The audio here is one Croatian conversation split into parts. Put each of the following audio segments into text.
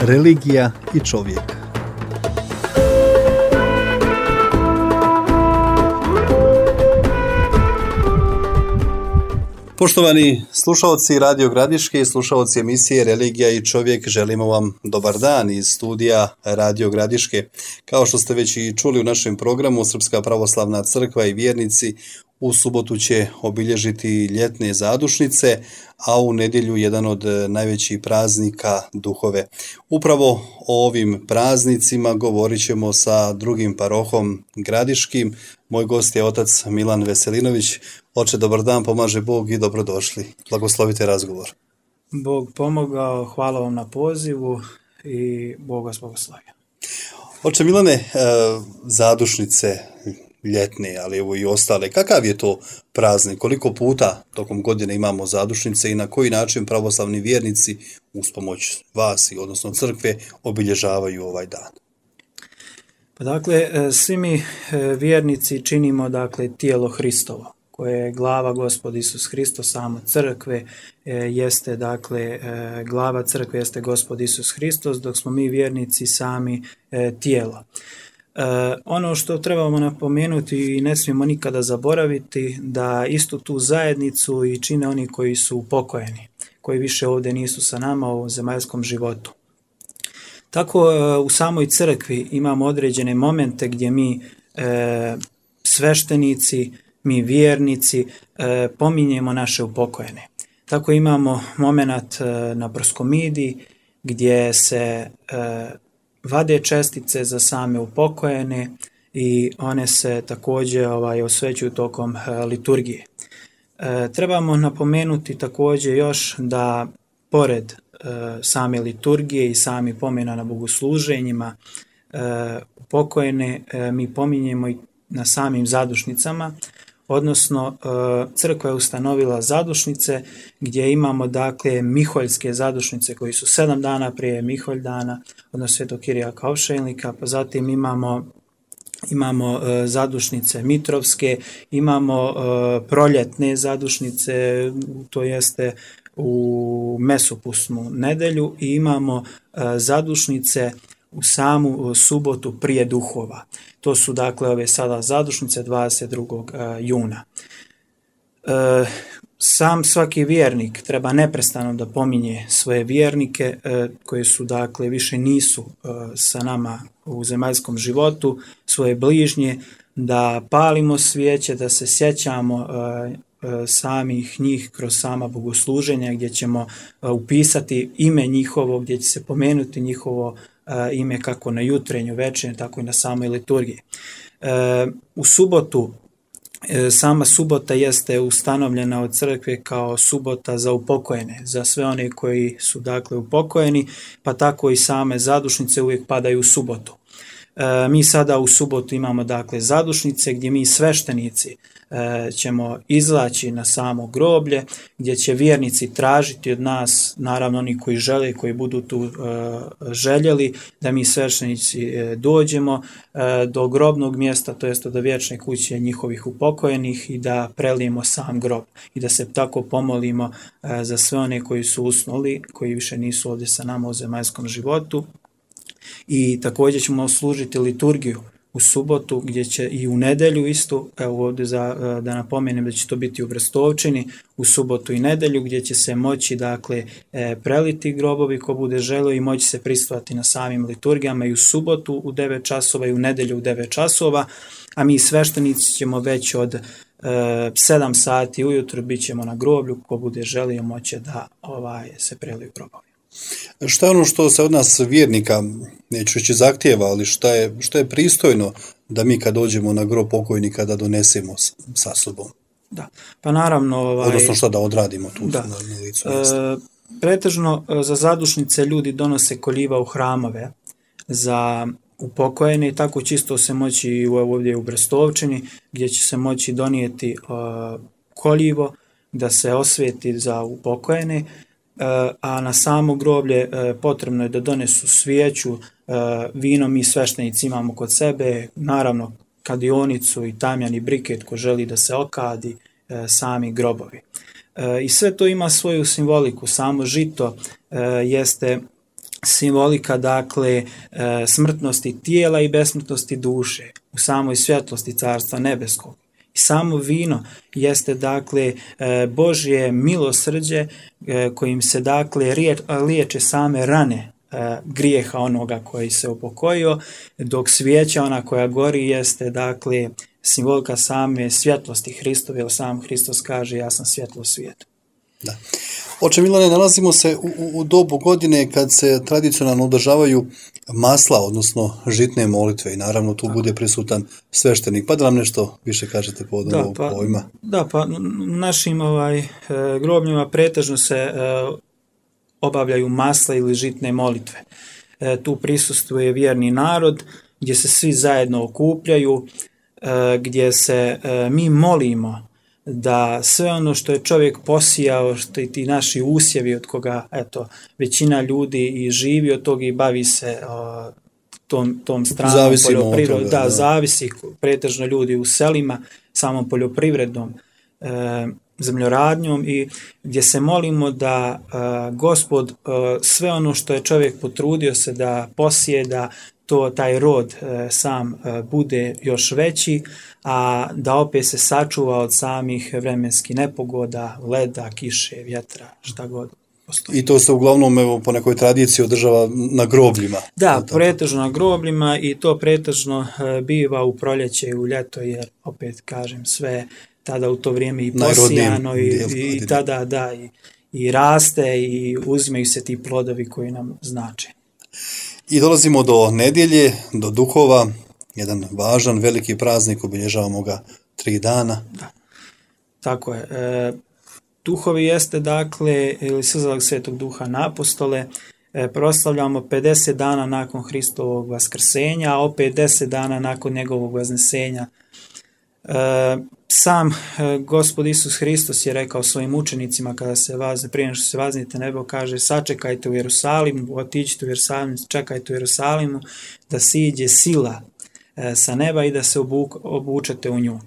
religija i čovjek. Poštovani slušalci Radio Gradiške i slušalci emisije Religija i čovjek, želimo vam dobar dan iz studija Radio Gradiške. Kao što ste već i čuli u našem programu, Srpska pravoslavna crkva i vjernici u subotu će obilježiti ljetne zadušnice, a u nedjelju jedan od najvećih praznika duhove. Upravo o ovim praznicima govorit ćemo sa drugim parohom Gradiškim. Moj gost je otac Milan Veselinović. Oče, dobar dan, pomaže Bog i dobrodošli. Blagoslovite razgovor. Bog pomogao, hvala vam na pozivu i Bog vas blagoslovio. Oče Milane, zadušnice ljetne, ali evo i ostale, kakav je to praznik? Koliko puta tokom godine imamo zadušnice i na koji način pravoslavni vjernici uz pomoć vas i odnosno crkve obilježavaju ovaj dan? Pa dakle, svi mi vjernici činimo tijelo Hristovo, koje je glava Gospod Isus Hristos, samo crkve jeste, glava crkve jeste Gospod Isus Hristos, dok smo mi vjernici sami tijelo. Ono što trebamo napomenuti i ne smijemo nikada zaboraviti, da istu tu zajednicu i čine oni koji su upokojeni, koji više ovdje nisu sa nama u zemaljskom životu. Tako u samoj crkvi imamo određene momente gdje mi sveštenici, mi vjernici pominjemo naše upokojene. Tako imamo moment na proskomidiji gdje se vade čestice za same upokojene i one se također osvećuju tokom liturgije. Trebamo napomenuti također još da pored same liturgije i sami pomena na bogosluženjima upokojene mi pominjemo i na samim zadušnicama, odnosno crkva je ustanovila zadušnice gdje imamo miholjske zadušnice koji su 7 dana prije Miholj dana, odnosno Svetog Kirijaka Opšeljnika, pa zatim imamo zadušnice mitrovske, imamo proljetne zadušnice, to jeste u mesopusnu nedelju, i imamo zadušnice u samu subotu prije duhova. To su ove sada zadušnice 22. juna. Sam svaki vjernik treba neprestano da pominje svoje vjernike koji su više nisu sa nama u zemaljskom životu, svoje bližnje, da palimo svijeće, da se sjećamo samih njih kroz sama bogosluženja gdje ćemo upisati ime njihovo, gdje će se pomenuti njihovo ime kako na jutrenju, večernju, tako i na samoj liturgiji. U subotu, sama subota jeste ustanovljena od crkve kao subota za upokojene, za sve one koji su upokojeni, pa tako i same zadušnice uvijek padaju u subotu. Mi sada u subotu imamo zadušnice gdje mi sveštenici ćemo izlaći na samo groblje, gdje će vjernici tražiti od nas, naravno oni koji žele, koji budu tu željeli, da mi sveštenici dođemo do grobnog mjesta, to jest do vječne kuće njihovih upokojenih, i da prelijemo sam grob i da se tako pomolimo za sve one koji su usnuli, koji više nisu ovdje sa nama u zemaljskom životu. I također ćemo služiti liturgiju u subotu, gdje će i u nedjelju isto, evo ovdje da napomenem da će to biti u Brestovčini, u subotu i nedjelju, gdje će se moći preliti grobovi ko bude želio i moći se prisustvovati na samim liturgijama i u subotu u 9 časova i u nedjelju u 9 časova, a mi sveštenici ćemo već od 7 sati ujutro bit ćemo na groblju, ko bude želio moći da se preliju grobovi. Šta je ono što se od nas vjernika, neću reći zahtijeva, ali što je pristojno da mi kad dođemo na grob pokojnika da donesemo sa sobom? Da, pa naravno... Odnosno šta da odradimo tu na licu mjesta? Pretežno za zadušnice ljudi donose koljiva u hramove za upokojene, i tako čisto se moći ovdje u Brestovčini, gdje će se moći donijeti koljivo da se osvijeti za upokojene, a na samo groblje potrebno je da donesu svijeću, vino mi sveštenici imamo kod sebe, naravno kadionicu i tamjan i briket ko želi da se okadi sami grobovi. I sve to ima svoju simboliku. Samo žito jeste simbolika, dakle, smrtnosti tijela i besmrtnosti duše u samoj svjetlosti Carstva nebeskog. I samo vino jeste, dakle, Božje milosrđe kojim se, dakle, liječe same rane grijeha onoga koji se upokojio, dok svijeća, ona koja gori, jeste, dakle, simbolika same svjetlosti Hristove, jer sam Hristos kaže: ja sam svjetlo svijeta. Da. Oče Milane, nalazimo se u dobu godine kad se tradicionalno održavaju masla, odnosno žitne molitve, i naravno tu bude prisutan sveštenik. Pa da nam nešto više kažete povodom ovog pojma. Da, pa našim grobljima pretežno se obavljaju masla ili žitne molitve. Tu prisustvuje vjerni narod gdje se svi zajedno okupljaju, gdje se mi molimo da sve ono što je čovjek posijao, što i ti naši usjevi od koga, eto, većina ljudi i živi od toga i bavi se tom stranom poljoprivredom. Da, zavisi pretežno ljudi u selima, samom poljoprivrednom zemljoradnjom, i gdje se molimo da Gospod sve ono što je čovjek potrudio se da posije, da taj rod sam bude još veći, a da opet se sačuva od samih vremenskih nepogoda, leda, kiše, vjetra, šta god postoji. I to se uglavnom po nekoj tradiciji održava na grobljima. Da, pretežno na grobljima, i to pretežno biva u proljeće i u ljeto, jer opet kažem, sve tada u to vrijeme i posijano i tada i raste i uzimaju se ti plodovi koji nam znače. I dolazimo do nedjelje, do duhova, jedan važan, veliki praznik, obilježavamo ga 3 dana. Da, tako je. Duhovi jeste, dakle, ili sazvak Svetog Duha na apostole, proslavljamo 50 dana nakon Hristovog vaskrsenja, a opet 10 dana nakon njegovog vaznesenja. Sam Gospod Isus Hristos je rekao svojim učenicima kada se prije nego što se vaznite nebo, kaže: sačekajte u Jerusalimu, otiđite u Jerusalim, čekajte u Jerusalimu da siđe sila sa neba i da se obučete u nju.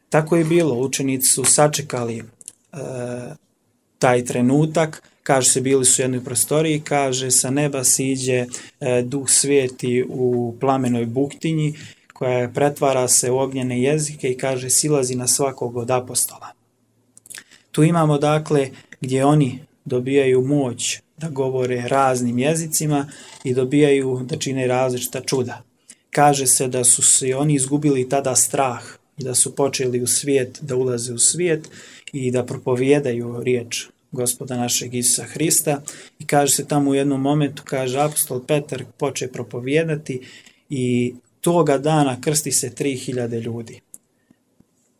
Tako je bilo, učenici su sačekali taj trenutak, kaže se, bili su u jednoj prostoriji, kaže, sa neba siđe Duh Sveti u plamenoj buktinji, koja pretvara se u ognjene jezike i kaže: silazi na svakog od apostola. Tu imamo, dakle, gdje oni dobijaju moć da govore raznim jezicima i dobijaju da čine različita čuda. Kaže se da su se oni izgubili tada strah i da su počeli u svijet, da ulaze u svijet i da propovijedaju riječ Gospoda našeg Isusa Hrista, i kaže se tamo u jednom momentu, kaže, apostol Petar poče propovijedati i toga dana krsti se 3000 ljudi.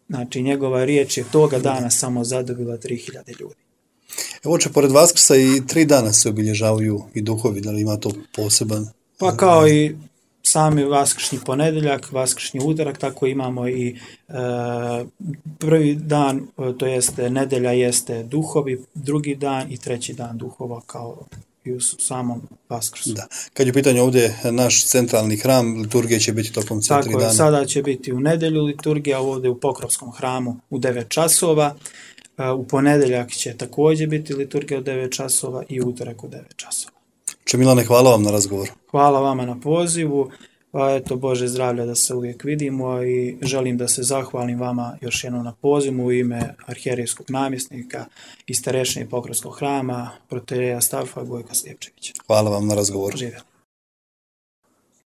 Znači, njegova riječ je toga dana samo zadobila 3000 ljudi. Evo, pored Vaskrsa i 3 dana se obilježavaju i duhovi, da li ima to poseban? Pa kao i sami vaskršnji ponedjeljak, vaskršnji utorak, tako imamo i prvi dan, to jeste nedjelja, jeste duhovi, drugi dan i treći dan duhova, kao i u samom Vaskrsu. Da. Kad je u pitanju ovdje naš centralni hram, liturgija će biti tokom 3 dana? Tako je, sada će biti u nedjelju liturgija, ovdje u Pokrovskom hramu u 9 časova, u ponedjeljak će također biti liturgija u 9 časova i utorak u 9 časova. Milane, hvala vam na razgovoru. Hvala vama na pozivu. Pa eto, Bože zdravlja da se uvijek vidimo, i želim da se zahvalim vama još jednom na pozivu u ime arhijerejskog namjesnika i starešine Pokrovskog hrama, protoijereja Stavfa Gojka Slijepčevića. Hvala vam na razgovoru. Živjeli.